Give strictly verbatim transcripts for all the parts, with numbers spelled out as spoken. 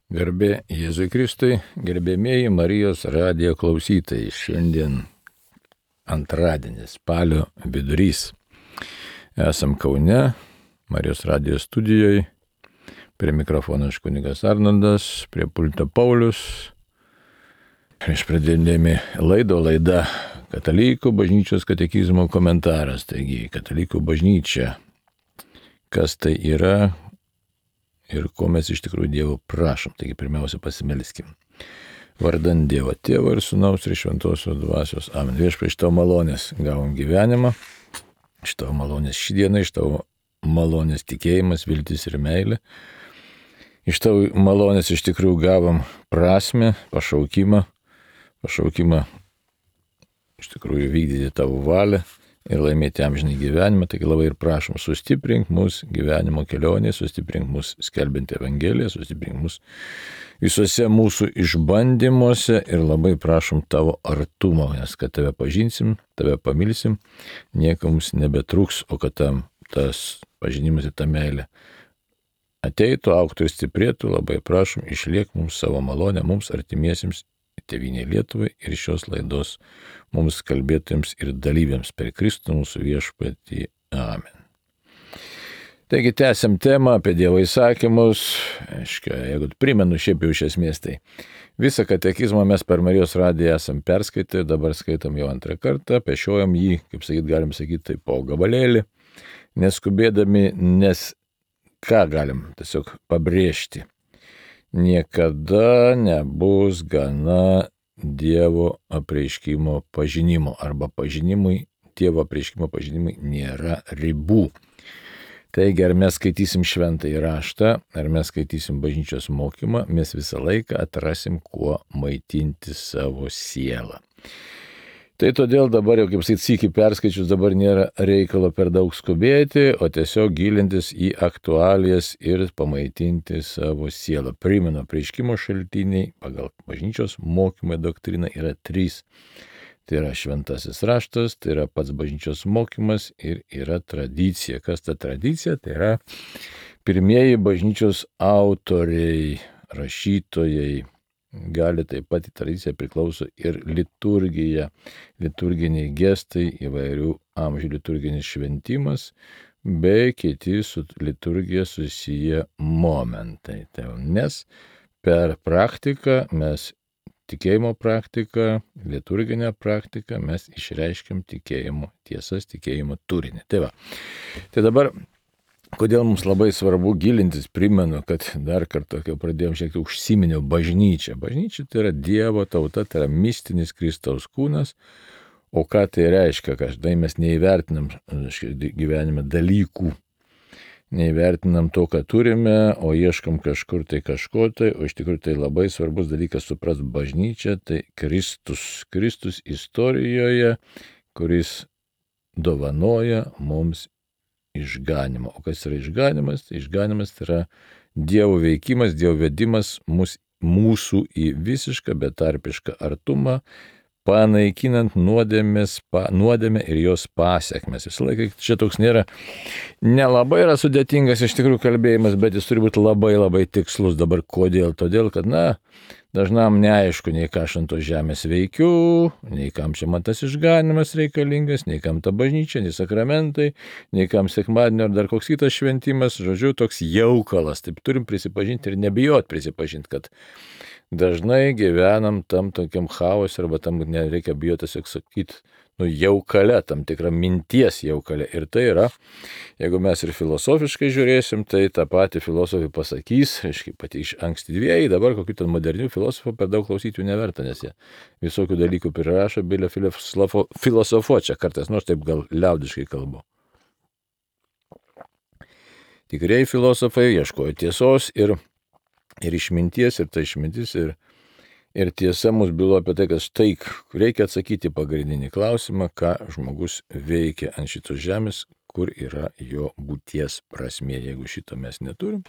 Garbė Jėzui Kristui, gerbėmieji Marijos radijo klausytojai. Šiandien antradienis, spalio vidurys. Esam Kaune, Marijos radijo studijoje. Prie mikrofono aš kunigas Arnoldas, prie pulto Paulius. Prieš pradėdami laido laida Katalikų bažnyčios katekizmo komentaras. Taigi, Katalikų bažnyčia, kas tai yra ir ko mes iš tikrųjų Dievo prašom. Taigi pirmiausia pasimelskim. Vardant Dievo Tėvo ir Sūnaus ir Šventosios Dvasios. Amen. Viešpatie, iš tavo malonės gavom gyvenimą, iš tavo malonės šį dieną, iš tavo malonės tikėjimas, viltis ir meilė. Iš tavo malonės iš tikrųjų gavom prasmę, pašaukimą, pašaukimą iš tikrųjų vykdyti tavo valią ir laimėti amžinai gyvenimą. Taigi labai ir prašom, sustiprink mus gyvenimo kelionėje, sustiprink mus skelbiant Evangeliją, sustiprink mus visuose mūsų išbandymuose ir labai prašom tavo artumo, nes kad tave pažinsim, tave pamilsim, niekam mums nebetruks, o kad tam tas pažinimas ir ta meilė ateitų, auktų ir stiprėtų, labai prašom, išliek mums savo malonę, mums artimiesiems, Tėvynei Lietuvai ir šios laidos mums kalbėtojams ir dalyviams per Kristų mūsų viešpatį. Amen. Taigi tęsiam temą apie Dievo įsakymus. Aiškia, jeigu primenu šiaip jau iš esmės, tai visą katekizmą mes per Marijos radiją esam perskaitę, dabar skaitam jau antrą kartą, pešiojam jį, kaip sakyt, galim sakyti, tai po gabalėlį, neskubėdami, nes ką galim tiesiog pabrėžti. Niekada nebus gana Dievo apreiškimo pažinimo arba pažinimui, Dievo apreiškimo pažinimui nėra ribų. Taigi, ar mes skaitysim šventąjį raštą, ar mes skaitysim bažnyčios mokymą, mes visą laiką atrasim, kuo maitinti savo sielą. Tai todėl dabar jau, kaip sakyt, sykį perskaičius, dabar nėra reikalo per daug skubėti, o tiesiog gilintis į aktualijas ir pamaitinti savo sielą. Primenu, apreiškimo šaltiniai pagal bažnyčios mokymą doktriną yra trys. Tai yra šventasis raštas, tai yra pats bažnyčios mokymas ir yra tradicija. Kas ta tradicija? Tai yra pirmieji bažnyčios autoriai, rašytojai. Gali taip pat į tradiciją priklauso ir liturgija, liturginiai gestai, įvairių amžių liturginis šventimas, bei kiti su liturgija susiję momentai. Tai, nes per praktiką mes, tikėjimo praktiką, liturginę praktiką, mes išreiškiam tikėjimo tiesas, tikėjimo turinį. Tai va. Tai dabar kodėl mums labai svarbu gilintis, primenu, kad dar kartą, kai pradėjom šiek tiek užsiminiau bažnyčią. Bažnyčia tai yra Dievo tauta, tai yra mistinis Kristaus kūnas. O ką tai reiškia, kad štai mes neįvertinam gyvenime dalykų, neįvertinam to, ką turime, o ieškam kažkur tai kažko tai, o iš tikrųjų tai labai svarbus dalykas suprast bažnyčią, tai Kristus, Kristus istorijoje, kuris dovanoja mums išganimą. O kas yra išganimas? Išganimas tai yra Dievo veikimas, Dievo vedimas mus, mūsų į visišką betarpišką artumą, panaikinant nuodėmės, pa, nuodėmę ir jos pasekmes. Visą laiką čia toks nėra, nelabai yra sudėtingas iš tikrųjų kalbėjimas, bet jis turi būti labai labai tikslus. Dabar kodėl? Todėl, kad, na, dažnam neaišku, nei ką aš ant tos žemės veikiu, nei kam čia man tas išganimas reikalingas, nei kam ta bažnyčia, nei sakramentai, nei kam sekmadienio ar dar koks kitas šventimas, žodžiu, toks jaukalas. Taip turim prisipažinti ir nebijot prisipažinti, kad dažnai gyvenam tam tokiam chaos arba tam nereikia bijoti tiesiog sakyti, nu, jaukale, tam tikra minties jaukale. Ir tai yra, jeigu mes ir filosofiškai žiūrėsim, tai tą patį filosofai pasakys, aiškiai, pati iš ankstyvieji, dabar kokių ten modernių filosofų per daug klausyti jų neverta, nes jie visokių dalykų prirašo, bilia filosofo, čia kartais, nors taip gal liaudiškai kalbu. Tikrieji filosofai ieškojo tiesos ir, ir išminties, ir ta išmintis, ir Ir tiesa mus bylo apie tai, kad štai reikia atsakyti pagrindinį klausimą, ką žmogus veikia ant šitos žemės, kur yra jo būties prasmė. Jeigu šito mes neturim,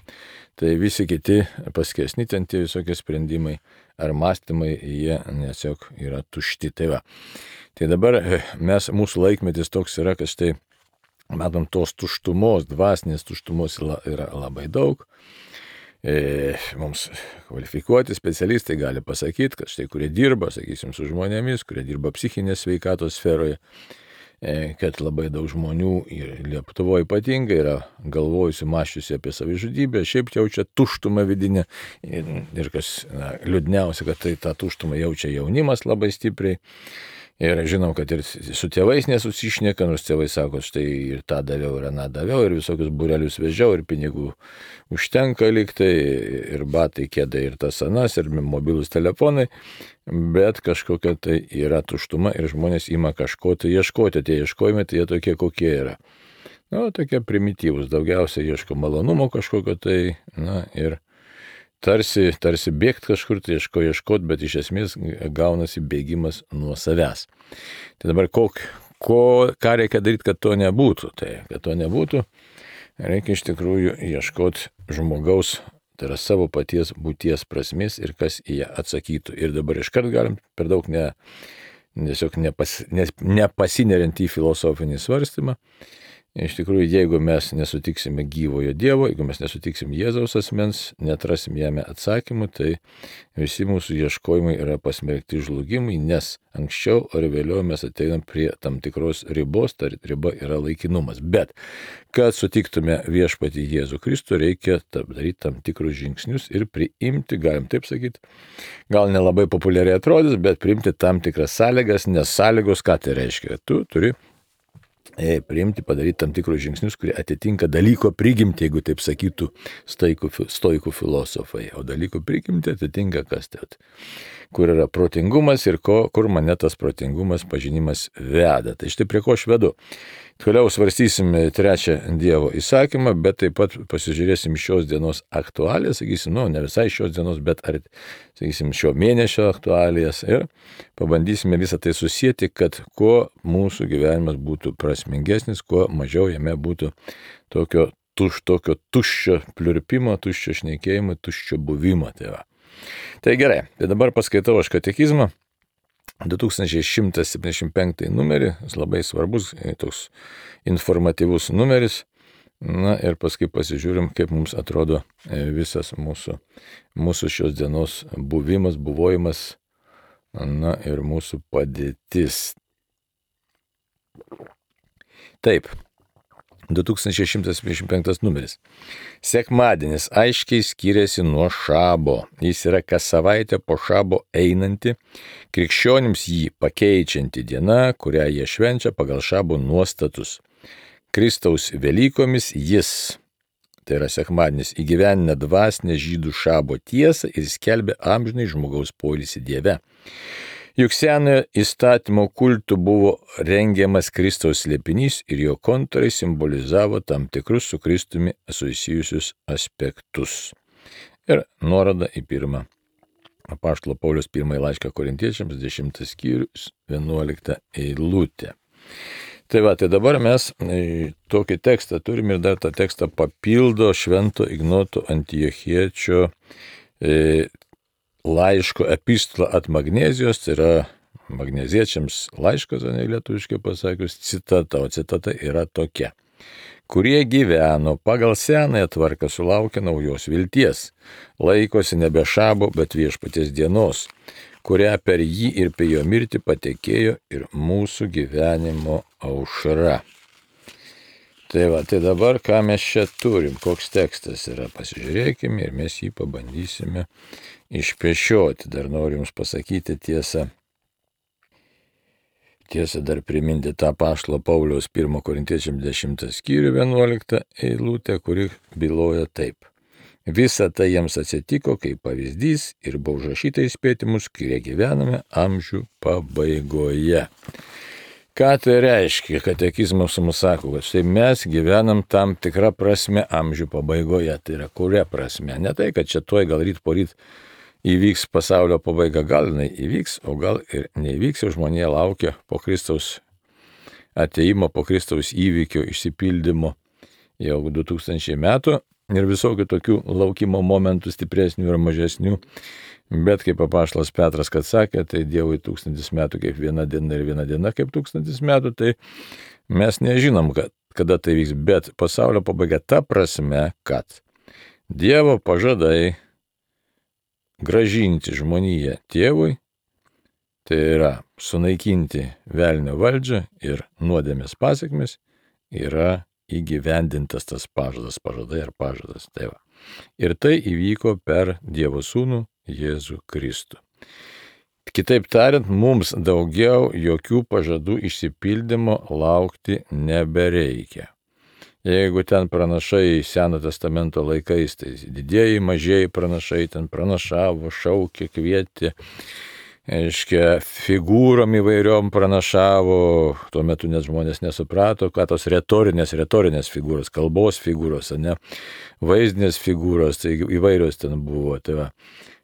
tai visi kiti paskesni ten tie visokie sprendimai ar mąstymai, jie tiesiog yra tušti. Tai va. Tai dabar mes, mūsų laikmetis toks yra, kad štai matom tos tuštumos, dvasinės tuštumos yra labai daug. e, mums kvalifikuoti specialistai gali pasakyti, kad štai kurie dirba, sakysim, su žmonėmis, kurie dirba psichinės sveikatos sferoje, e, kad labai daug žmonių ir Lietuvoje ypatingai yra galvojusi, mąščiusi apie savižudybę, šiaip jaučia tuštumą vidinę ir, ir kas na, liūdniausia, kad tai tą tuštumą jaučia jaunimas labai stipriai. Ir žinau, kad ir su tėvais nesusišneka, nors tėvai sako, štai ir tą daviau, ir aną daviau, ir visokius būrelius vežiau, ir pinigų užtenka liktai, ir batai, kėdai, ir tas anas, ir mobilus telefonai, bet kažkokia tai yra tuštuma ir žmonės ima kažko tai ieškoti, tie ieškojimai, tai jie tokie kokie yra. Na, tokie primityvūs, daugiausiai ieško malonumo kažkokio tai, na, ir Tarsi, tarsi bėgti kažkur, tai ieško ieškot, bet iš esmės gaunasi bėgimas nuo savęs. Tai dabar kok, ko, ką reikia daryti, kad to nebūtų? Tai, kad to nebūtų, reikia iš tikrųjų ieškoti žmogaus, tai yra savo paties būties prasmės ir kas į ją atsakytų. Ir dabar iškart galim per daug ne, tiesiog nepas, ne, nepasineriant į filosofinį svarstymą. Iš tikrųjų, jeigu mes nesutiksime gyvojo Dievo, jeigu mes nesutiksime Jėzaus asmens, netrasim jame atsakymų, tai visi mūsų ieškojimai yra pasmerkti žlugimui, nes anksčiau ar vėliau mes ateinam prie tam tikros ribos, ta riba yra laikinumas. Bet, kad sutiktume viešpatį Jėzų Kristų, reikia daryti tam tikrus žingsnius ir priimti, galim taip sakyti, gal nelabai populiariai atrodys, bet priimti tam tikras sąlygas, nes sąlygos, ką tai reiškia, tu turi priimti, padaryti tam tikrus žingsnius, kurie atitinka dalyko prigimtį, jeigu taip sakytų stoikų, stoikų filosofai. O dalyko prigimtį atitinka kas tai, kur yra protingumas ir ko, kur mane tas protingumas, pažinimas veda. Tai štai prie ko aš vedu. Toliau svarstysim trečią Dievo įsakymą, bet taip pat pasižiūrėsim šios dienos aktualijas, sakysim, nu, ne visai šios dienos, bet ar, sakysim, šio mėnesio aktualijas ir pabandysime visą tai susijęti, kad kuo mūsų gyvenimas būtų prasmingesnis, kuo mažiau jame būtų tokio, tuš, tokio tuščio pliurpimo, tuščio šnekėjimo, tuščio buvimo. Tai, va. Tai gerai, tai dabar paskaitau aš katekizmą. du tūkstančiai šimtas septyniasdešimt penktą numerį, jis labai svarbus, toks informatyvus numeris, na ir paskui pasižiūrim, kaip mums atrodo visas mūsų, mūsų šios dienos buvimas, buvojimas, na ir mūsų padėtis. Taip. du tūkstančiai šimtas septyniasdešimt penktas numeris. Sekmadienis aiškiai skiriasi nuo šabo. Jis yra kas savaitę po šabo einanti, krikščionims jį pakeičianti diena, kurią jie švenčia pagal šabo nuostatus. Kristaus Velykomis jis, tai yra sekmadienis, įgyvendina dvasinę žydų šabo tiesą ir skelbia amžinai žmogaus poilsį Dieve. Juk senojo įstatymo kultų buvo rengiamas Kristaus slėpinys ir jo kontūrai simbolizavo tam tikrus su Kristumi susijusius aspektus. Ir nuoroda į pirmą apaštalo Pauliaus pirmąjį laišką Korintiečiams, dešimtas skyrius, vienuolikta eilutė. Tai va, tai dabar mes tokį tekstą turim ir dar tą tekstą papildo Švento Ignoto Antiochiečio e, laiško epistola at Magnezijos, tai yra magneziečiams laiškas, ne lietuviškai pasakius, citata, o citata yra tokia. Kurie gyveno pagal senąją tvarką sulaukia naujos vilties, laikosi nebe šabo, bet viešpaties dienos, kurią per jį ir per jo mirtį patekėjo ir mūsų gyvenimo aušra. Tai va, tai dabar ką mes čia turim, koks tekstas yra, pasižiūrėkime ir mes jį pabandysime išpešioti. Dar noriu jums pasakyti tiesą, tiesą dar priminti tą apaštalo Pauliaus pirmo Korintiečiams dešimtą skyrių vienuoliktą eilutę, kuri byloja taip. Visa tai jiems atsitiko kaip pavyzdys ir buvo užrašyta įspėti mus, kurie gyvename amžių pabaigoje. Ką tai reiškia? Katekizmas mums sako, kad štai mes gyvenam tam tikrą prasme amžių pabaigoje. Tai yra kuria prasme? Ne tai, kad čia tuoj gal ryt po ryt įvyks pasaulio pabaiga, gal jinai įvyks, o gal ir neįvyks, o žmonė laukia po Kristaus ateimo, po Kristaus įvykio išsipildymo jau du tūkstančiai metų ir visokių tokių laukimo momentų stipresnių ir mažesnių. Bet kaip apaštalas Petras, kad sakė, tai Dievui tūkstantis metų kaip viena diena ir viena diena kaip tūkstantis metų, tai mes nežinom, kad, kada tai vyks, bet pasaulio pabaiga ta prasme, kad Dievo pažadai gražinti žmoniją tėvui, tai yra sunaikinti velnio valdžią ir nuodėmės pasekmes, yra įgyvendintas tas pažadas, pažadai ar pažadas. Tai va. Ir tai įvyko per Dievo Sūnų Jėzų Kristų. Kitaip tariant, mums daugiau jokių pažadų išsipildymo laukti nebereikia. Jeigu ten pranašai Seno testamento laikais, tai didieji, mažieji pranašai ten pranašavo, šaukė, kvietė, aiškia, figūrom įvairiom pranašavo, tuo metu net žmonės nesuprato, ką tos retorinės, retorinės figūros, kalbos figūros, ne, vaizdinės figūros, tai įvairios ten buvo. Tai, va,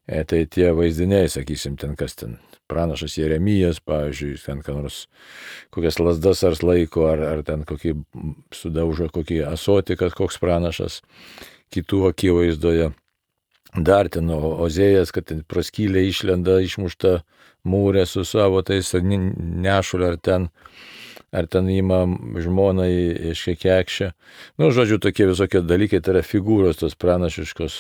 e, tai tie vaizdiniai, sakysim, ten kas ten, pranašas Jeremijas, pavyzdžiui, ten ką nors, kokias lasdas ar laiko, ar, ar ten kokį sudaužo, kokį asotį, kad koks pranašas kitų akivaizdoje. Dar ten Ozėjas, kad ten praskylė išlenda, išmušta mūrė su savo tais nešulė, ar ten, ar ten ima žmonai iškekekšę. Nu, žodžiu, tokie visokie dalykai, tai yra figūros, tos pranašiškos,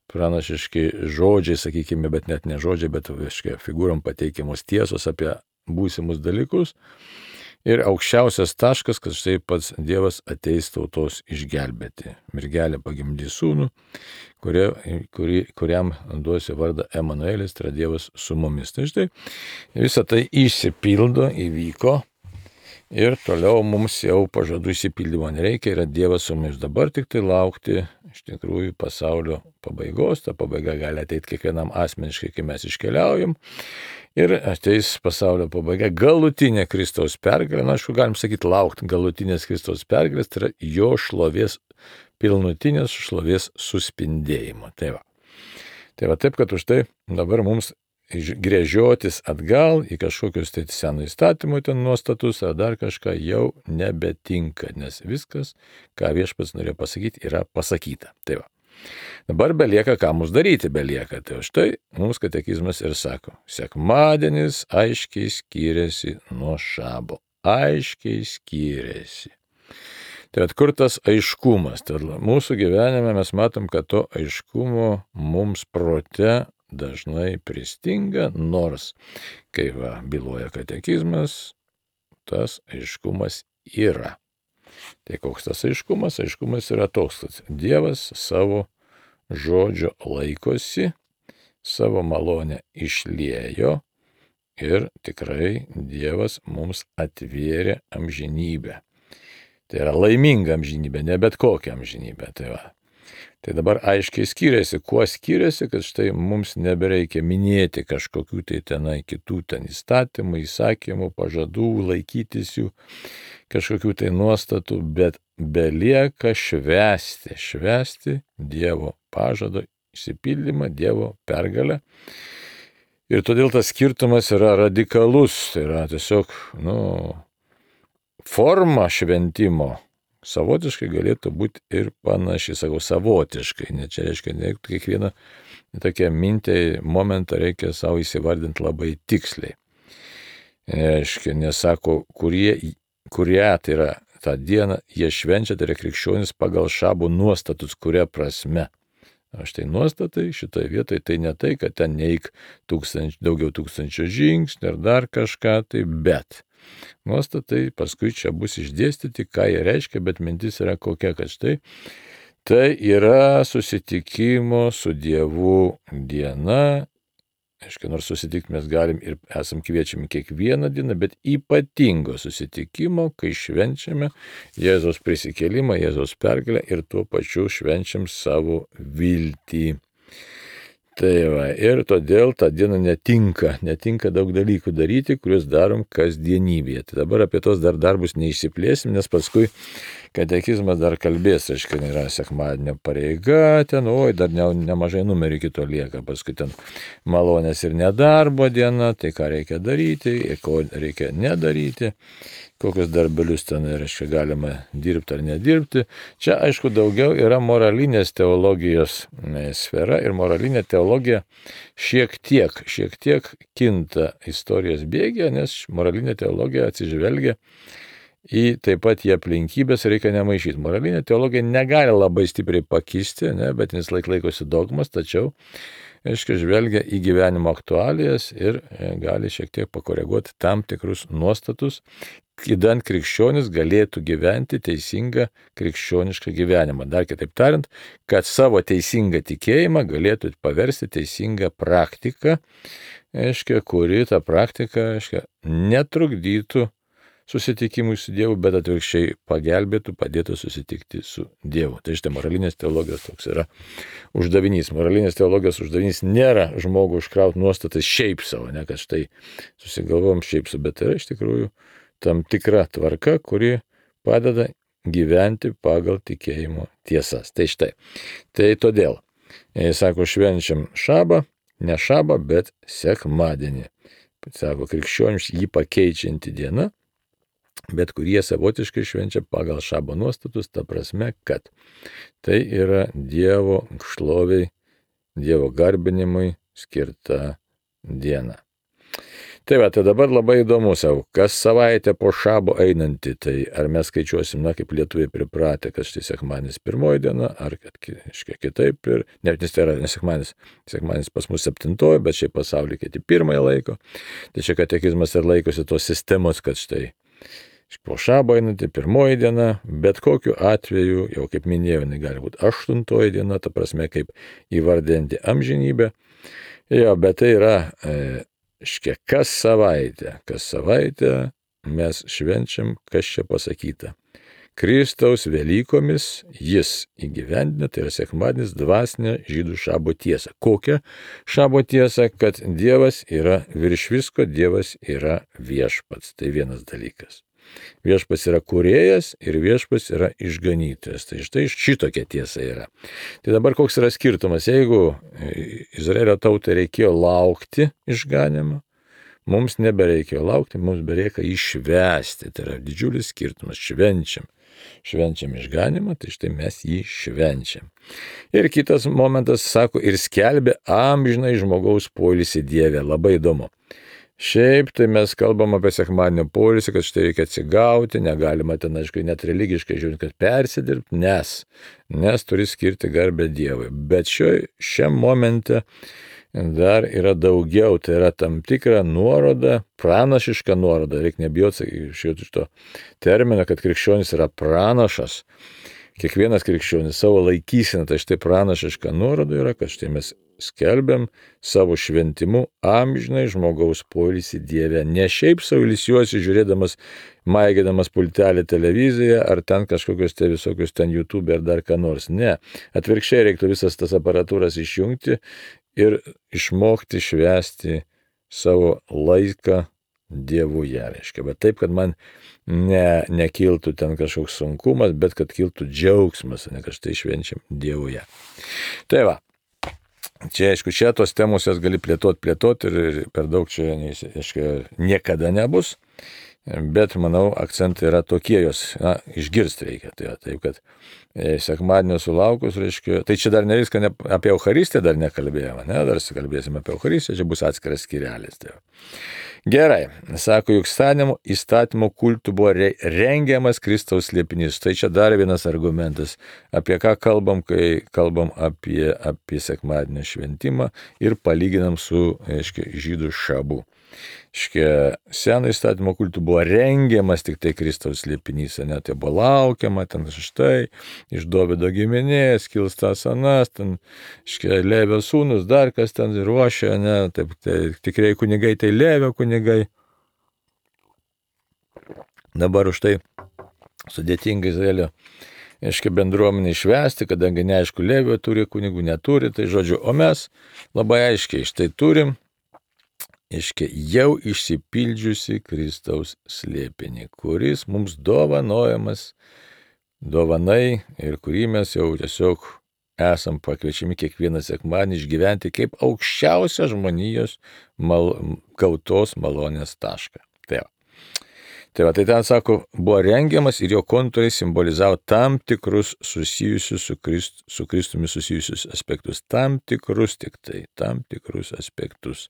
pranašiški žodžiai, sakykime, bet net ne žodžiai, bet viškai, figūrom pateikiamos tiesos apie būsimus dalykus. Ir aukščiausias taškas, kad štai pats Dievas ateis tautos išgelbėti. Mergelė pagimdys sūnų, kurie, kuri, kuriam duosi vardą Emanuelis, tai yra Dievas su mumis. Tai štai visą tai išsipildo, įvyko. Ir toliau mums jau pažadų išsipildymo nereikia, yra Dievas su mumis. Dabar tik tai laukti iš tikrųjų pasaulio pabaigos. Ta pabaiga gali ateiti kiekvienam asmeniškai, kai mes iškeliaujam. Ir ateis pasaulio pabaiga, galutinė Kristaus pergalė. Na, aišku, galim sakyti, laukti galutinės Kristaus pergalės, tai yra jo šlovės, pilnutinės šlovės suspindėjimo. Tai va. Tai va taip, kad už tai dabar mums gręžiotis atgal į kažkokius tai senų įstatymų ten nuostatus ar dar kažką jau nebetinka, nes viskas, ką Viešpats norėjo pasakyti, yra pasakyta. Tai va. Dabar belieka, ką mums daryti belieka. Tai štai mums katekizmas ir sako, sekmadienis aiškiai skiriasi nuo šabo. Aiškiai skiriasi. Tai atkur tas aiškumas. Tai mūsų gyvenime mes matom, kad to aiškumo mums prote dažnai pristinga, nors, kai va, byloja katekizmas, tas aiškumas yra. Tai koks tas aiškumas? Aiškumas yra toks, kad Dievas savo žodžio laikosi, savo malonę išliejo ir tikrai Dievas mums atvėrė amžinybę. Tai yra laiminga amžinybė, ne bet kokia amžinybė. Tai va. Tai dabar aiškiai skiriasi, kuo skiriasi, kad štai mums nebereikia minėti kažkokių tai tenai kitų ten įstatymų, įsakymų, pažadų, laikytis jų, kažkokių tai nuostatų, bet belieka švęsti, švęsti Dievo pažado išsipildymą, Dievo pergalę. Ir todėl tas skirtumas yra radikalus, tai yra tiesiog, nu, forma šventimo. Savotiškai galėtų būti ir panašiai, sakau, savotiškai, ne čia reiškia, ne kiekvieną tokią mintį, momentą reikia savo įsivardinti labai tiksliai. Reiškia, nesako, kurie, kurie tai yra tą dieną, jie švenčia, tai yra krikščionis pagal šabo nuostatus, kuria prasme. O štai nuostatai šitoje vietoje tai ne tai, kad ten neik tūkstanč, daugiau tūkstančio žingsnių ar dar kažką, tai bet. Nuostatai paskui čia bus išdėstyti, ką jie reiškia, bet mintis yra kokia, kad štai tai yra susitikimo su Dievu diena. Aiškiai, nors susitikti mes galim ir esam kviečiami kiekvieną dieną, bet ypatingo susitikimo, kai švenčiame Jėzaus prisikėlimą, Jėzaus pergalę ir tuo pačiu švenčiam savo viltį. Tai va, ir todėl tą dieną netinka, netinka daug dalykų daryti, kuriuos darom kasdienybėje. Tai dabar apie tos dar darbus neišsiplėsim, nes paskui katekizmas dar kalbės, aiškiai, yra sekmadienio pareiga, ten, oi, dar ne, nemažai numerį kito lieka, paskui ten malonės ir nedarbo diena, tai ką reikia daryti, ir ko reikia nedaryti, kokius darbelius ten, reiškia, galima dirbti ar nedirbti. Čia, aišku, daugiau yra moralinės teologijos sfera ir moralinė teologija šiek tiek, šiek tiek kinta istorijos bėgė, nes moralinė teologija atsižvelgia į taip pat į aplinkybės reikia nemaišyti. Moralinė teologija negali labai stipriai pakisti, ne, bet jis laik laikosi dogmas, tačiau, aiškiai, žvelgia į gyvenimo aktualijas ir gali šiek tiek pakoreguoti tam tikrus nuostatus, idant krikščionis galėtų gyventi teisingą krikščionišką gyvenimą. Dar kitaip tariant, kad savo teisingą tikėjimą galėtų paversti teisingą praktiką, aiškiai, kuri tą praktiką, aiškiai, netrukdytų susitikimui su Dievu, bet atvirkščiai pagelbėtų, padėtų susitikti su Dievu. Tai štai moralinės teologijos toks yra uždavinys. Moralinės teologijos uždavinys nėra žmogų užkrauti nuostatas šiaip savo, ne, kad štai susigalvom šiaip savo, bet yra iš tikrųjų tam tikra tvarka, kuri padeda gyventi pagal tikėjimo tiesas. Tai štai. Tai todėl, jis sako, švenčiam šabą, ne šabą, bet sekmadienį. Sako, krikščionims jį pakeičianti diena, bet kurie savotiškai švenčia pagal šabo nuostatus, ta prasme, kad tai yra Dievo šloviai, Dievo garbinimui skirta diena. Tai va, tai dabar labai įdomu savo, kas savaitę po šabo einantį, tai ar mes skaičiuosim, na, kaip lietuviai pripratę, kad štai sekmadienis pirmoji diena, ar kad kažkiek kitaip, ir ne, nes tai yra ne sekmadienis, sekmadienis pas mus septintoji, bet šiaip pasaulyje kiti pirmąją laiko. Tai čia katekizmas ir laikosi tos sistemos, kad štai po šabo einantį pirmoji diena, bet kokiu atveju, jau kaip minėjau, jinai gali būti aštuntoji diena, ta prasme, kaip įvardinti amžinybę. Jo, bet tai yra, e, škia, kas savaitę, kas savaitę mes švenčiam, kas čia pasakyta. Kristaus Velykomis jis įgyvendina, tai yra sekmadienis, dvasinę žydų šabo tiesą. Kokią šabo tiesą? Kad Dievas yra virš visko, Dievas yra viešpats. Tai vienas dalykas. Viešpats yra kūrėjas ir viešpats yra išganytojas. Tai štai šitokia tiesa yra. Tai dabar koks yra skirtumas? Jeigu Izraelio tautai reikėjo laukti išganymą, mums nebereikėjo laukti, mums bereikia išvesti. Tai yra didžiulis skirtumas. Švenčiam. Švenčiam išganymą, tai štai mes jį švenčiam. Ir kitas momentas, sako, ir skelbia amžinai žmogaus poilsį Dieve. Labai įdomu. Šiaip tai mes kalbam apie sekmadienio poilsį, kad štai reikia atsigauti, negalima ten, aišku, net religiškai žiūrint, kad persidirbti, nes, nes turi skirti garbę Dievui. Bet šio, šiam momente dar yra daugiau, tai yra tam tikra nuoroda, pranašiška nuoroda, reikia nebijoti šito termino, kad krikščionis yra pranašas. Kiekvienas krikščionis savo laikyseną, tai štai pranašiška nuoroda yra, kad štai mes skelbiam savo šventimu amžinai žmogaus poilsį Dieve. Ne šiaip sau ilsiuosi žiūrėdamas, maigėdamas pultelį televiziją, ar ten kažkokius tai visokius ten YouTube ar dar ką nors. Ne. Atvirkščiai reiktų visas tas aparatūras išjungti ir išmokti švęsti savo laiką Dievuje, reiškia. Bet taip, kad man ne, nekiltų ten kažkoks sunkumas, bet kad kiltų džiaugsmas, ne kad štai švenčiam Dievuje. Tai va. Čia, aišku, čia tos temos jas gali plėtoti, plėtoti ir per daug čia, aišku, niekada nebus, bet, manau, akcentai yra tokie, jos, na, išgirsti reikia. Tai, taip, kad e, sekmadienio sulaukus, reiškia, tai čia dar ne viską, ne, apie Eucharistiją dar nekalbėjome, ne, dar kalbėsime apie Eucharistiją, čia bus atskiras skyrelis. Tai. Gerai, sako, juk įstatymo kultų buvo rengiamas Kristaus slėpinys. Tai čia dar vienas argumentas, apie ką kalbam, kai kalbam apie, apie sekmadienio šventimą ir palyginam su, aiškiai, žydų šabu. Škia, seno įstatymo kultų buvo rengiamas tik tai Kristaus slėpinys, ne, tai buvo laukiama, ten štai, iš Dovydo giminės, kils tas anas, ten, škia, Levio sūnus, dar kas ten ruošia, ne, taip, tai tikrai kunigai, tai Levio kunigai. Dabar už tai sudėtinga Izraelio, aiškiai, bendruomenį išvesti, kadangi neaišku, Levio turi kunigų, neturi, tai žodžiu, o mes labai aiškiai štai turim, aiškiai, jau išsipildžiusi Kristaus slėpinį, kuris mums dovanojamas dovanai ir kurį mes jau tiesiog esam pakviečiami kiekvieną sekmadienį išgyventi kaip aukščiausią žmonijos mal, gautos malonės tašką. Tai, Tai va, tai ten sako, buvo rengiamas ir jo kontūrai simbolizavo tam tikrus susijusius su, Krist, su Kristumi susijusius aspektus. Tam tikrus tik tai, tam tikrus aspektus.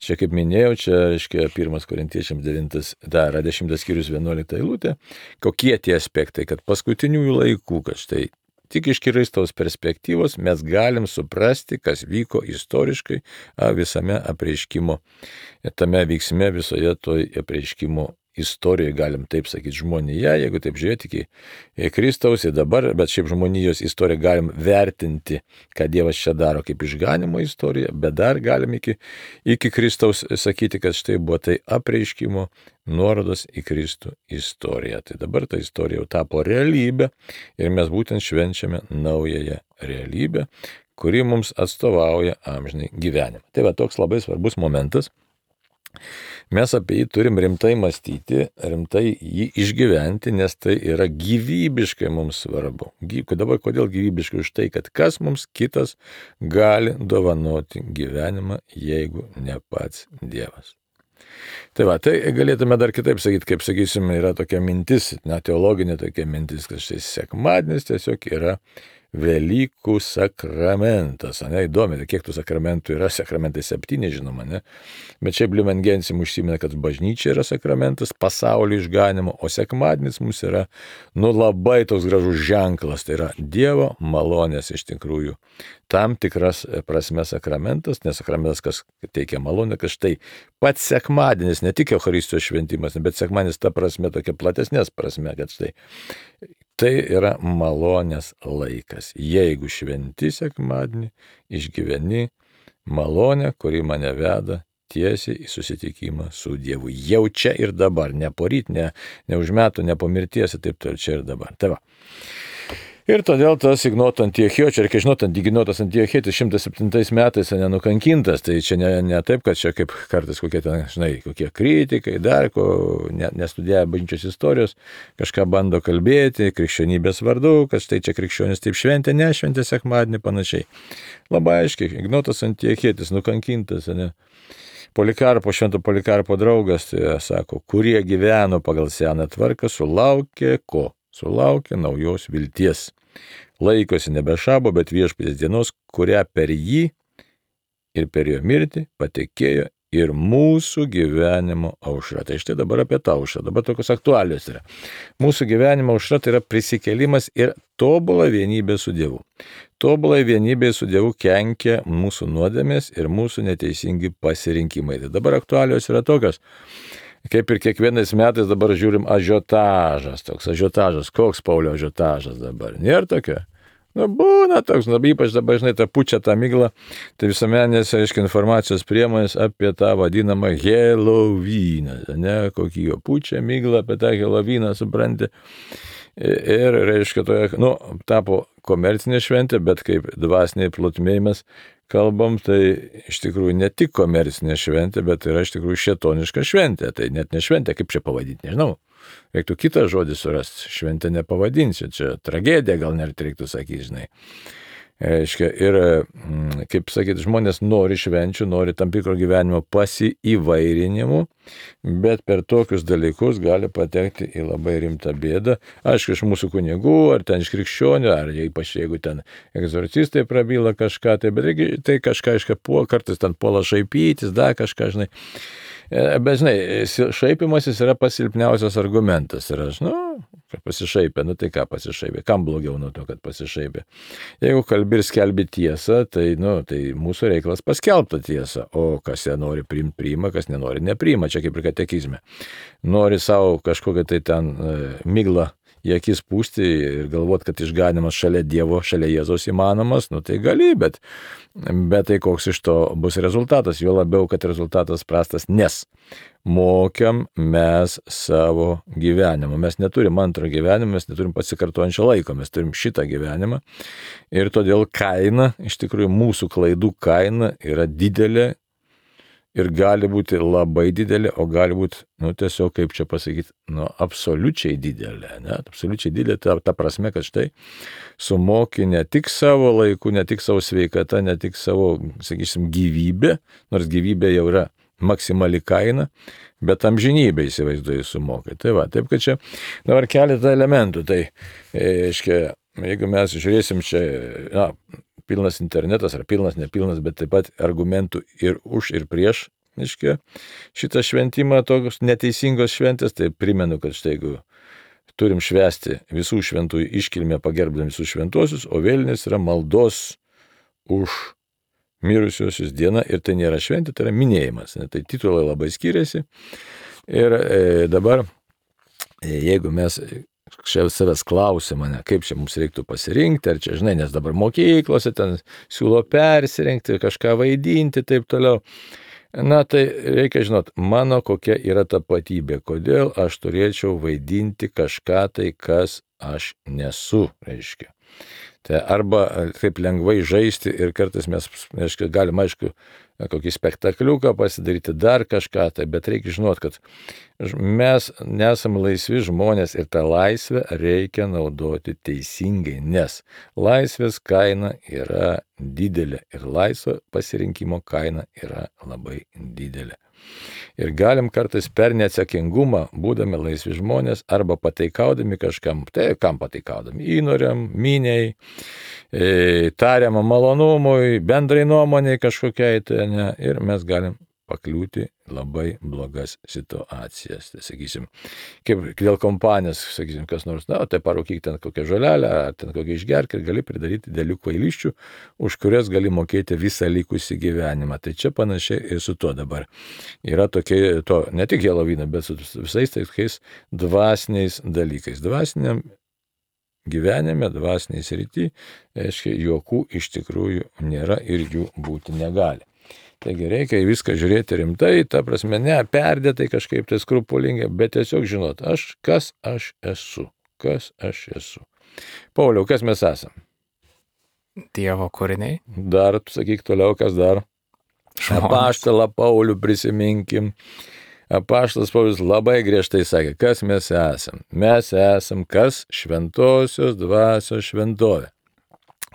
Čia, kaip minėjau, čia, reiškia, pirmas Korintiečiams devintas, dar dešimtas skyrius vienuolikta eilutė. Kokie tie aspektai, kad paskutiniųjų laikų, kad štai tik iš Kristaus perspektyvos mes galim suprasti, kas vyko istoriškai visame apreiškimo, tame veiksme, visoje toj apreiškimo istorijoje, galim taip sakyti, žmonija, jeigu taip žiūrėti iki Kristaus ir dabar, bet šiaip žmonijos istoriją galim vertinti, ką Dievas čia daro kaip išganimo istoriją, bet dar galim iki, iki Kristaus sakyti, kad štai buvo tai apreiškimo nuorodos į Kristų istoriją. Tai dabar ta istorija jau tapo realybė ir mes būtent švenčiame naująją realybę, kuri mums atstovauja amžinai gyvenimą. Tai va toks labai svarbus momentas. Mes apie jį turim rimtai mąstyti, rimtai jį išgyventi, nes tai yra gyvybiškai mums svarbu. Dabar kodėl gyvybiškai? Už tai, kad kas mums kitas gali dovanoti gyvenimą, jeigu ne pats Dievas. Tai va, tai galėtume dar kitaip sakyti, kaip sakysim, yra tokia mintis, na, teologinė tokia mintis, kad štai sekmadienis tiesiog yra Velykų sakramentas. Ne, įdomi, kiek tų sakramentų yra, sakramentai septyni, žinoma, ne? Bet šiaip Lumen Gentium užsimena, kad bažnyčia yra sakramentas, pasaulio išganimo, o sekmadienis mums yra, nu, labai toks gražus ženklas, tai yra Dievo malonės iš tikrųjų. Tam tikras prasme sakramentas, nes sakramentas, kas teikia malonę, kad štai pats sekmadienis, ne tik Eucharistijos šventimas, bet sekmadienis ta prasme, tokia platesnės prasme, kad štai tai yra malonės laikas. Jeigu šventi sekmadienį, išgyveni malonę, kuri mane veda tiesiai į susitikimą su Dievu. Jau čia ir dabar, ne poryt, ne, ne už metų, ne po mirties, taip toliau, čia ir dabar. Tai va. Ir todėl tas Ignoto Antiochiečio, reikia žinoti, Ignotas Antiochietis šimtas septintais metais nenukankintas, tai čia ne, ne taip, kad čia kaip kartais kokie ten, žinai, kokie kritikai, dar ko, ne, nestudijavę bažnyčios istorijos, kažką bando kalbėti, krikščionybės vardu, kad štai čia krikščionis taip šventė, nešventė sekmadienį panašiai. Labai aiškiai, Ignotas Antiochietis nukankintas, ne. Polikarpo, švento Polikarpo draugas, tai sako, kurie gyveno pagal seną tvarką, sulaukė ko? Sulaukė naujos vilties. Laikosi nebe šabo, bet viešpaties dienos, kurią per jį ir per jo mirtį patekėjo ir mūsų gyvenimo aušra. Tai štai dabar apie tą aušrą, dabar tokios aktualios yra. Mūsų gyvenimo aušra tai yra prisikėlimas ir tobula vienybė su Dievu. Tobulai vienybė su Dievu kenkia mūsų nuodėmės ir mūsų neteisingi pasirinkimai. Tai dabar aktualios yra tokios. Kaip ir kiekvienais metais dabar žiūrim ažiotažas, toks ažiotažas, koks Paulio ažiotažas dabar, nėra tokio? Nu, būna toks, nu, ypač dabar, žinai, tą pučią, tą miglą, tai visuomenės, aiškiai, informacijos priemonės apie tą vadinamą Helovyną, ne, kokį jo pučią miglą apie tą Helovyną, supranti. Ir, reiškia, toje, nu, tapo komercinė šventė, bet kaip dvasiniai plotmėj mes kalbam, tai iš tikrųjų ne tik komercinė šventė, bet yra iš tikrųjų šėtoniška šventė. Tai net ne šventė, kaip čia pavadinti, nežinau. Reiktų kitą žodį surasti, šventę nepavadinsiu, čia tragedija gal net reiktų sakyti, žinai. Reiškia, ir, kaip sakyti, žmonės nori švenčių, nori tam tikro gyvenimo pasiįvairinimų, bet per tokius dalykus gali patekti į labai rimtą bėdą. Aišku, iš mūsų kunigų, ar ten iš krikščionių, ar ypač jeigu ten egzorcistai prabyla kažką, tai, bet reikia, tai kažką, aišku, kartais ten puola šaipytis, dar kažką, žinai. Bet, žinai, šaipimasis yra pasilpniausias argumentas. Ir aš, nu, pasišaipė, nu tai ką pasišaipė, kam blogiau nuo to, kad pasišaipė. Jeigu kalbi ir skelbi tiesą, tai, nu, tai mūsų reikalas paskelbta tiesą, o kas ją nori priimti, priima, kas nenori, nepriima, čia kaip ir katekizme. Nori savo kažkokią tai ten e, miglą į akis pūsti ir galvot, kad išganimas šalia Dievo, šalia Jėzaus įmanomas, nu tai gali, bet, bet tai koks iš to bus rezultatas, jo labiau, kad rezultatas prastas, nes mokiam mes savo gyvenimą. Mes neturim antro gyvenimo, mes neturim pasikartojančio laiko, mes turim šitą gyvenimą ir todėl kaina, iš tikrųjų mūsų klaidų kaina yra didelė. Ir gali būti labai didelė, o gali būti, nu, tiesiog, kaip čia pasakyti, nu, absoliučiai didelė, ne? Absoliučiai didelė, ta, ta prasme, kad štai sumoki ne tik savo laiku, ne tik savo sveikata, ne tik savo, sakysim, gyvybė, nors gyvybė jau yra maksimali kaina, bet amžinybę įsivaizduoju sumokai. Tai va, taip kad čia dabar keletą elementų. Tai, aiškiai, jeigu mes žiūrėsim čia, na, pilnas internetas ar pilnas, nepilnas, bet taip pat argumentų ir už, ir prieš, aiškiai, šitą šventimą tokios neteisingos šventės, tai primenu, kad štai jeigu turim švęsti visų šventųjų iškilmę pagerbdami visus šventuosius, o vėlinės yra maldos už mirusiosius diena ir tai nėra šventė, tai yra minėjimas. Ne? Tai titulai labai skiriasi. Ir e, dabar, e, jeigu mes čia savęs klausia mane, kaip čia mums reiktų pasirinkti, ar čia, žinai, nes dabar mokyklose ten siūlo persirinkti, kažką vaidinti, taip toliau. Na, tai reikia žinot, mano kokia yra tapatybė, kodėl aš turėčiau vaidinti kažką tai, kas aš nesu, reiškia. Tai arba taip lengvai žaisti ir kartais mes, reiškia, galim, aišku, kokį spektakliuką pasidaryti, dar kažką, tai, bet reikia žinot, kad mes nesam laisvi žmonės ir tą laisvę reikia naudoti teisingai, nes laisvės kaina yra didelė ir laisvo pasirinkimo kaina yra labai didelė. Ir galim kartais per neatsakingumą, būdami laisvi žmonės, arba pateikaudami kažkam, tai kam pateikaudami, įnoriam, miniai, e, tariamam malonumui, bendrai nuomoniai kažkokiai, tai ne, ir mes galim pakliūti labai blogas situacijas. Tai sakysim, kaip dėl kompanijos, sakysim, kas nors, na, tai parūkyk ten kokią žolelę, ar ten kokią išgerk ir gali pridaryti dėlių kvailiščių, už kurias gali mokėti visą likusį gyvenimą. Tai čia panašiai ir su tuo dabar. Yra tokie, to, ne tik Helovyną, bet su visais tokiais dvasiniais dalykais. Dvasiniam gyvenime, dvasiniai srity, aiškiai, juokų iš tikrųjų nėra ir jų būti negali. Taigi reikia viską žiūrėti rimtai, ta prasme, ne perdėtai kažkaip tai skrupulingai, bet tiesiog žinot, aš, kas aš esu, kas aš esu. Pauliau, kas mes esam? Dievo kūriniai. Dar, sakyk toliau, kas dar? Apaštalą Paulių prisiminkim. Apaštalas Paulius labai griežtai sakė, kas mes esam. Mes esam kas? Šventosios dvasios šventovė.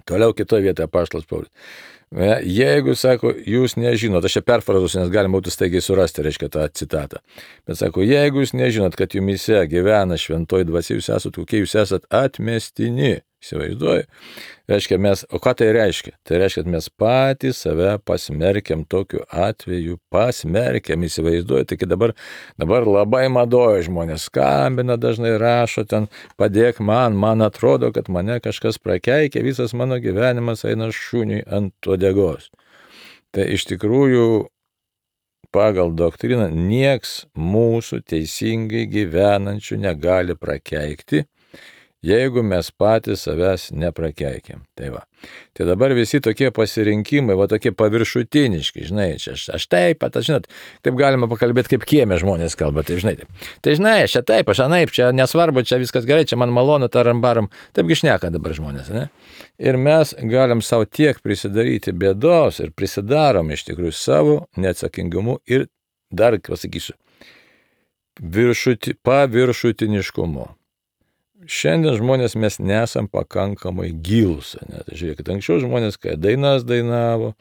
Toliau kitoje vietoje apaštalas Paulius. Jeigu, sako, jūs nežinot, aš čia perfrazuosiu, nes galima būtų staigiai surasti, reiškia, tą citatą. Bet sako, jeigu jūs nežinot, kad jumise gyvena šventoji dvasia, jūs esat kokie, jūs esat atmestini. Įsivaizduoju. Reiškia, mes, o ką tai reiškia? Tai reiškia, kad mes patys save pasmerkiam tokiu atveju, pasmerkiam, įsivaizduoju. Taigi dabar, dabar labai madoja žmonės, skambina, dažnai rašo ten, padėk man, man atrodo, kad mane kažkas prakeikia, visas mano gyvenimas eina šuniui ant uodegos. Tai iš tikrųjų, pagal doktriną, nieks mūsų teisingai gyvenančių negali prakeikti, jeigu mes patys savęs neprakeikiam. Tai va. Tai dabar visi tokie pasirinkimai, va tokie paviršutiniški, žinai, čia aš, aš taip, pat, aš, žinot, taip galima pakalbėti, kaip kieme žmonės kalba, tai žinai, taip. Tai žinai, aš čia taip, aš anaip, čia nesvarbu, čia viskas gerai, čia man malonu, taram baram, taipgi šneka dabar žmonės, ne? Ir mes galim savo tiek prisidaryti bėdos ir prisidarom iš tikrųjų savo neatsakingumu ir dar, pasakysiu, viršuti, paviršutiniškumu. Šiandien žmonės mes nesam pakankamai gilūs. Tai žiūrėkit, anksčiau žmonės, kai dainas dainavo,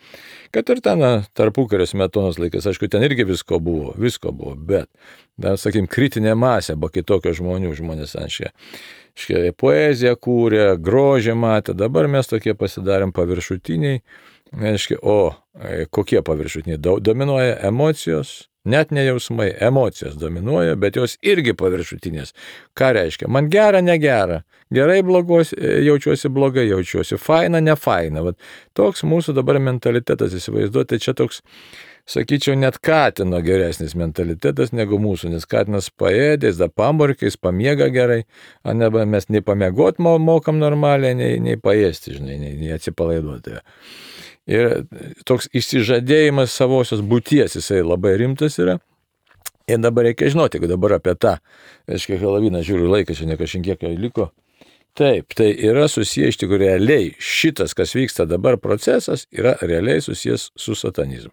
kad ir ten tarpukario Smetonos laikais, aišku, ten irgi visko buvo, visko buvo, bet, dar, sakykim, kritinė masė buvo kitokio žmonių, žmonės, aiškiai, poeziją kūrė, grožį matė, dabar mes tokie pasidarėm paviršutiniai, aiškiai, o kokie paviršutiniai? Dominuoja emocijos. Net ne jausmai, emocijos dominuoja, bet jos irgi paviršutinės. Ką reiškia? Man gera, negera. Gerai blogos, jaučiuosi blogai, jaučiuosi faina, nefaina. Vat toks mūsų dabar mentalitetas, įsivaizduoti, čia toks, sakyčiau, net katino geresnis mentalitetas negu mūsų, nes katinas paėdės, da pamorkiais, pamiega gerai, o ne mes nei pamiegot mokam normaliai, nei, nei paėsti, žinai, nei, nei atsipalaiduoti. Ir toks išsižadėjimas savosios būties, jisai labai rimtas yra. Ir dabar reikia žinoti, jeigu dabar apie tą, aiškiai, Helovyną žiūriu laiką, čia ne kažkiek liko. Taip, tai yra susijęs iš tikrųjų realiai. Šitas, kas vyksta dabar procesas, yra realiai susijęs su satanizmu.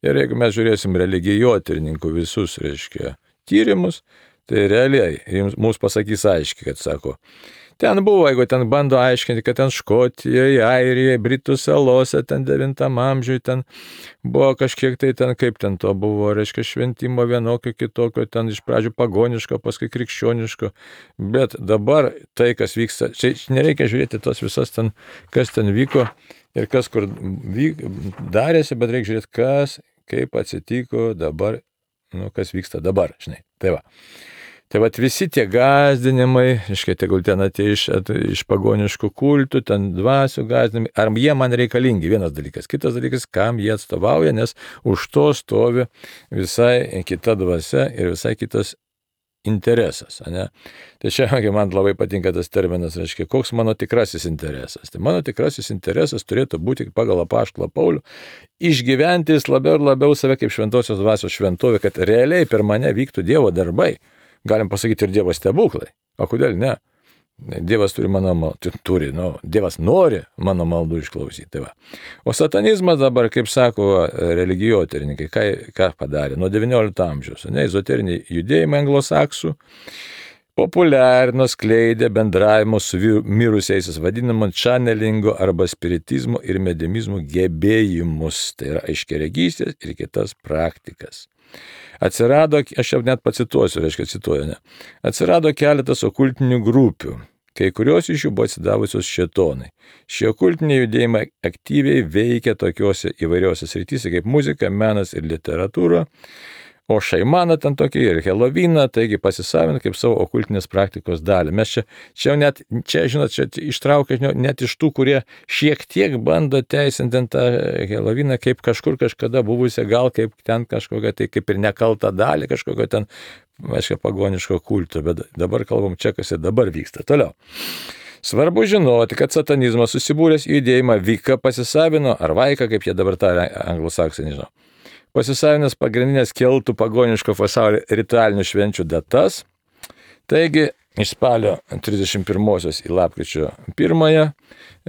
Ir jeigu mes žiūrėsim religijotyrininkų visus, reiškia, tyrimus, tai realiai mums pasakys aiškiai, kad sako, Ten buvo, jeigu ten bando aiškinti, kad ten Škotijoje, Airijoje, Britų salose, ten devintam amžiui, ten buvo kažkiek tai ten, kaip ten to buvo, reiškia šventimo vienokio, kitokio, ten iš pradžių pagoniško, paskui krikščioniško. Bet dabar tai, kas vyksta, čia nereikia žiūrėti tos visas ten, kas ten vyko ir kas kur vyk, darėsi, bet reikia žiūrėti, kas, kaip atsitiko dabar, nu, kas vyksta dabar, žinai. Tai va. Tai vat visi tie gąsdinimai, iškai tegul ten atėjo iš, iš pagoniškų kultų, ten dvasių gąsdinimai, ar jie man reikalingi, vienas dalykas. Kitas dalykas, kam jie atstovauja, nes už to stovi visai kita dvasia ir visai kitas interesas. Ne? Tai čia man labai patinka tas terminas, reiškia, koks mano tikrasis interesas. Tai mano tikrasis interesas turėtų būti pagal apaštalą Paulių išgyventi labiau ir labiau save kaip šventosios dvasios šventovė, kad realiai per mane vyktų Dievo darbai. Galim pasakyti ir Dievo stebuklai. O kodėl ne? Dievas turi mano maldų, turi, nu, Dievas nori mano maldų išklausyti. Tai va. O satanizmas dabar, kaip sako religijotyrininkai, ką, ką padarė? Nuo devyniolikto amžiaus, ne, ezoteriniai judėjimai anglosaksų populiarino, skleidė bendravimo su mirusiaisiais vadinamo channelingo arba spiritizmo ir medimizmo gebėjimus. Tai yra aiškiaregystės ir kitas praktikas. Atsirado, aš jau net pacituosiu, reiškia cituoju, ne. Atsirado keletas okultinių grupių, kai kurios iš jų buvo atsidavusios šėtonai. Šie okultiniai judėjimai aktyviai veikia tokiuose įvairiuose srityse kaip muzika, menas ir literatūra, o šaimana ten tokia ir Helovyną, taigi pasisavina kaip savo okultinės praktikos dalį. Mes čia, čia net, čia, žinot, čia ištraukia net iš tų, kurie šiek tiek bando teisinti tą Helovyną kaip kažkur kažkada buvusią, gal kaip ten kažkokią, tai kaip ir nekaltą dalį kažkokio ten, aiškiai, pagoniško kulto, bet dabar kalbam čia, kas ir dabar vyksta. Toliau. Svarbu žinoti, kad satanizmas susibūręs į judėjimą Vika pasisavino, ar Vaika, kaip jie dabar tą anglosaksai, nežinau. Pasisavinęs pagrindinės keltų pagoniško pasaulio ritualinių švenčių datas, taigi iš spalio trisdešimt pirmosios į lapkričio pirmąją,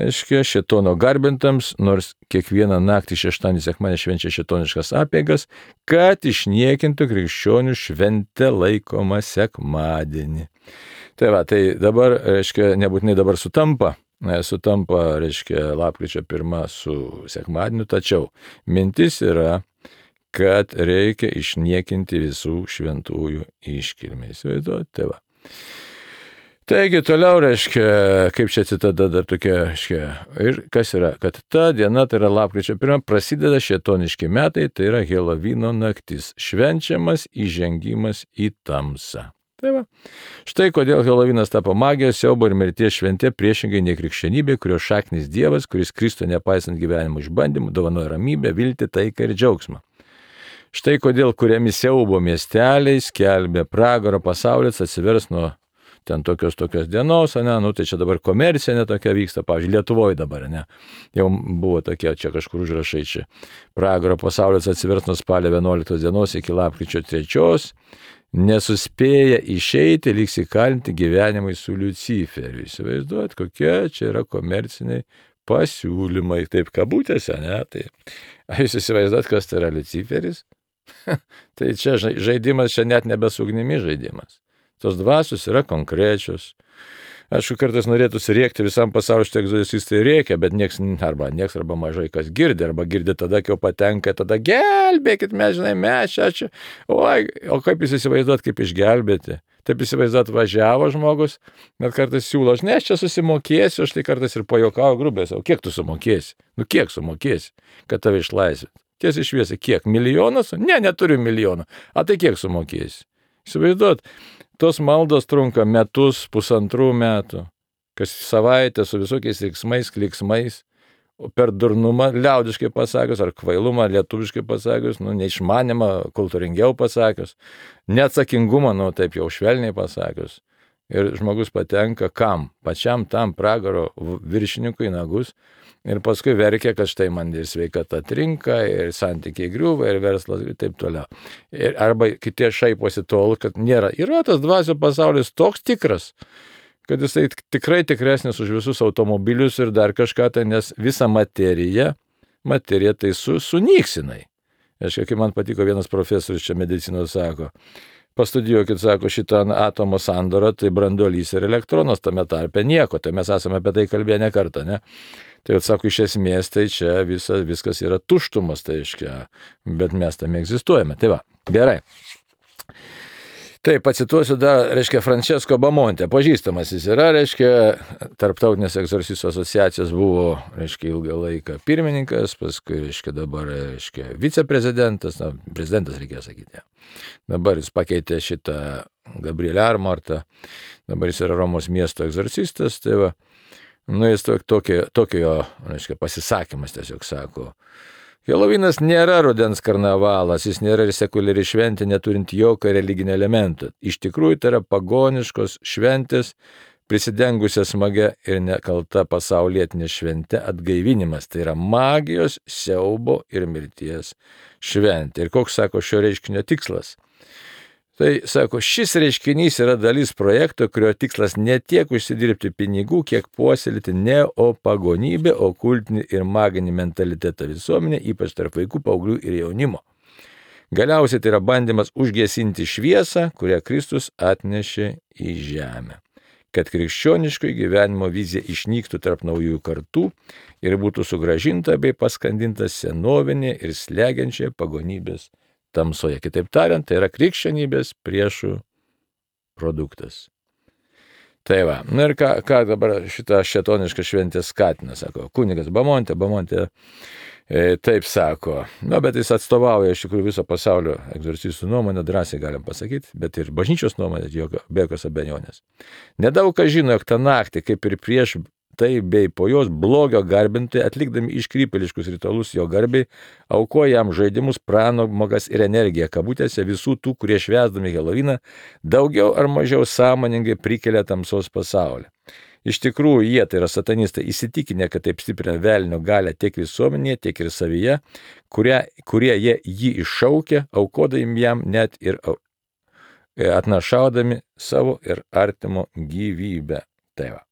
aiškiai, šėtono garbintams, nors kiekvieną naktį šeštadienį sekmadienį švenčia šėtoniškas apeigas, kad išniekintų krikščionių šventę laikomą sekmadienį. Tai va, tai dabar, aiškiai, nebūtinai dabar sutampa, sutampa, aiškiai, lapkričio pirmą su sekmadieniu, tačiau mintis yra, kad reikia išniekinti visų šventųjų iškilmę. Įsivaizduojate, tai va. Taigi toliau, reiškia, kaip čia citata dar tokia, reiškia, ir kas yra, kad ta diena, tai yra lapkričio pirmą, prasideda šėtoniški metai, tai yra Helovyno naktis, švenčiamas įžengimas į tamsą. Tai va. Štai kodėl Helovynas tapo magijos, siaubo ir mirties šventė priešingai nei krikščionybė, kurios šaknis Dievas, kuris Kristų nepaisant gyvenimo išbandymų, dovanoja ramybę, viltį, taiką ir džiaugsmą. Štai kodėl kuriami siaubo miesteliai, skelbė pragaro pasaulis, atsivers nuo ten tokios tokios dienos, ne, nu tai čia dabar komercija netokia vyksta, pavyzdžiui, Lietuvoje dabar, ne, jau buvo tokie, čia kažkur užrašai čia, pragaro pasaulis atsivers nuo spalio vienuoliktos dienos iki lapkričio trečios, nesuspėja išeiti, liks įkalinti gyvenimai su Liuciferiu. Įsivaizduojat, kokie čia yra komerciniai pasiūlymai, taip kabutėse, ne, tai jūs įsivaizduojat, kas tai yra Liuciferis? Tai čia žaidimas, čia net nebesugnimi žaidimas. Tos dvasios yra konkrečios. Aišku, kartais norėtųsi rėkti visam pasauliu, štai egzorcistai rėkia, bet nieks arba, nieks arba mažai kas girdi, arba girdi tada, kai jau patenka, tada gelbėkit, mes žinai, mes čia, čia. Oi, o kaip jūs įsivaizduot, kaip išgelbėti? Taip įsivaizduot, važiavo žmogus, net kartais siūlo, aš ne, aš čia susimokėsiu, aš tai kartais ir pajokauju grubės, o kiek tu sumokėsi? Nu kiek sumokėsi, kad tave išlaisvėt? Tiesiai šviesiai, kiek? Milijonas? Ne, neturiu milijono. A tai kiek sumokėsi? Įsivaizduot, tos maldos trunka metus, pusantrų metų, kas savaitę su visokiais veiksmais, kliksmais, per durnumą, liaudiškai pasakius, ar kvailumą, lietuviškai pasakius, nu, neišmanimą, kultūringiau pasakius, neatsakingumą, nu, taip jau švelniai pasakius. Ir žmogus patenka kam? Pačiam tam pragaro viršininkui nagus. Ir paskui verkia, kad štai man ir sveikata trinka, ir santykiai griūva, ir verslas, ir taip toliau. Ir arba kitie šaiposi tol, kad nėra. Yra tas dvasių pasaulis toks tikras, kad jisai tikrai tikresnis už visus automobilius ir dar kažką, tai nes visa materija, materija tai su, sunyks jinai. Aš, kaip man patiko vienas profesorius čia medicinos sako, pastudijuokit, sako, šitą atomo sandorą, tai branduolys ir elektronas tame tarpe nieko, tai mes esame apie tai kalbėję ne kartą, ne? Tai atsako, iš esmės, tai čia visa, viskas yra tuštumas, tai aiškia, bet mes tame egzistuojame. Tai va, gerai. Tai pacituosiu dar, reiškia, Francesco Bamonte, pažįstamas jis yra, reiškia, Tarptautinės egzorcistų asociacijos buvo, reiškia, ilgą laiką pirmininkas, paskui, reiškia, dabar, reiškia, viceprezidentas, na, prezidentas reikėjo sakyti. Dabar jis pakeitė šitą Gabrielę Armartą, dabar jis yra Romos miesto egzorcistas, tai va, nu, jis tokio, tokio, reiškia, pasisakymas tiesiog sako, Helovinas nėra rudens karnavalas, jis nėra ir sekuliari šventė, neturint jokio religinio elemento. Iš tikrųjų, tai yra pagoniškos šventės, prisidengusią smagia ir nekalta pasaulietinė šventė atgaivinimas. Tai yra magijos, siaubo ir mirties šventė. Ir koks, sako, šio reiškinio tikslas? Tai, sako, šis reiškinys yra dalis projekto, kurio tikslas ne tiek užsidirbti pinigų, kiek puoselėti neopagonybę, okultinį ir maginį mentalitetą visuomenė, ypač tarp vaikų, paauglių ir jaunimo. Galiausiai tai yra bandymas užgesinti šviesą, kurią Kristus atnešė į žemę. Kad krikščioniško gyvenimo vizija išnyktų tarp naujųjų kartų ir būtų sugrąžinta bei paskandinta senovinė ir slegiančia pagonybės tamsoje. Kitaip tariant, tai yra krikščionybės priešų produktas. Tai va, na ir ką, ką dabar šitą šėtonišką šventę skatina, sako, kunigas Bamonte, Bamonte e, taip sako, na, bet jis atstovauja iš tikrųjų viso pasaulio egzorcistų nuomonę, drąsiai galim pasakyti, bet ir bažnyčios nuomonę, jokio, be jokios abejonės. Nedaug kas žino, jog tą naktį, kaip ir prieš tai bei po jos blogio garbintai, atlikdami iškrypėliškus ritualus jo garbiai, aukoja jam žaidimus, pramogas ir energiją, kabutėse visų tų, kurie švęsdami Heloviną, daugiau ar mažiau sąmoningai prikelia tamsos pasaulį. Iš tikrųjų, jie, tai yra satanistai, įsitikinę, kad taip stiprina velnio galią tiek visuomenėje, tiek ir savyje, kurie, kurie jie jį iššaukia, aukodami jam net ir atnašaudami savo ir artimo gyvybę. Tai va.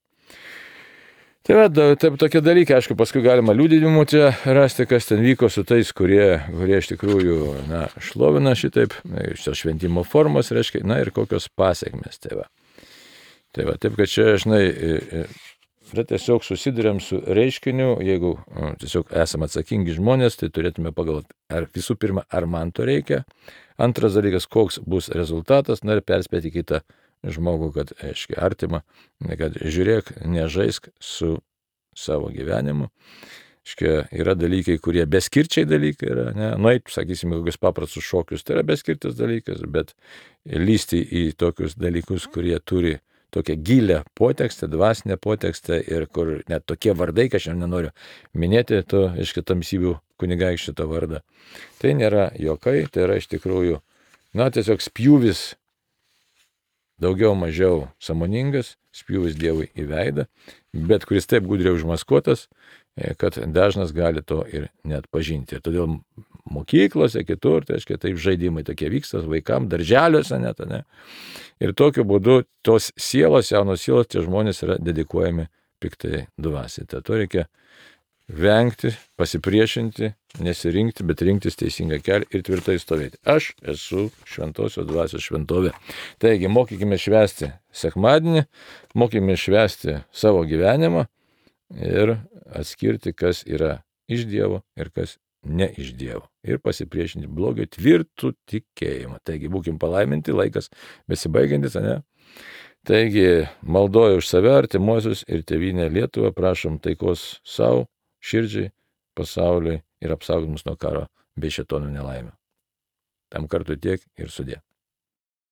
Tai va, taip tokie dalykai, aišku, paskui galima liudijimų čia rasti, kas ten vyko su tais, kurie, kurie iš tikrųjų, na, šlovina šitaip, šios šventimo formos, reiškia, na ir kokios pasiekmes, tai va. Tai va, taip, kad čia, žinai, yra tiesiog susidurėm su reiškiniu, jeigu nu, tiesiog esame atsakingi žmonės, tai turėtume pagalvoti, ar visų pirma, ar man to reikia, antras dalykas, koks bus rezultatas, na ir perspėti kitą žmogų, kad, aiškiai, artima, kad žiūrėk, nežaisk su savo gyvenimu. Aiškiai, yra dalykai, kurie beskirčiai dalykai yra, ne, nueit, sakysime, kokius paprastus šokius, tai yra beskirtas dalykas, bet lysti į tokius dalykus, kurie turi tokią gilę potekstę, dvasinę potekstę ir kur net tokie vardai, kad aš nenoriu minėti to, aiškiai, tamsybių kunigaikščio to vardą. Tai nėra jokai, tai yra iš tikrųjų, na, tiesiog spjūvis daugiau mažiau sąmoningas, spjūvis Dievui į veidą, bet kuris taip gudriai užmaskuotas, kad dažnas gali to ir net pažinti. Ir todėl mokyklose, kitur, tai aiškiai, taip žaidimai tokie vyksta vaikams, darželiuose net, ne. Ir tokiu būdu tos sielos, jaunos sielos, tie žmonės yra dedikuojami piktai dvasiai. Tai to reikia vengti, pasipriešinti, nesirinkti, bet rinktis teisingą kelią ir tvirtai stovėti. Aš esu šventosios dvasios šventovė. Taigi, mokykime švęsti sekmadienį, mokykime švęsti savo gyvenimą ir atskirti, kas yra iš Dievo ir kas ne iš Dievo. Ir pasipriešinti blogio tvirtų tikėjimą. Taigi, būkim palaiminti, laikas besibaigiantis, ne? Taigi, maldoju už save, artimuosius ir tėvynę Lietuvą, prašom taikos savo, širdžiai, pasauliui ir apsaugot mus nuo karo bei šėtonų nelaimių. Tam kartui tiek ir sudie.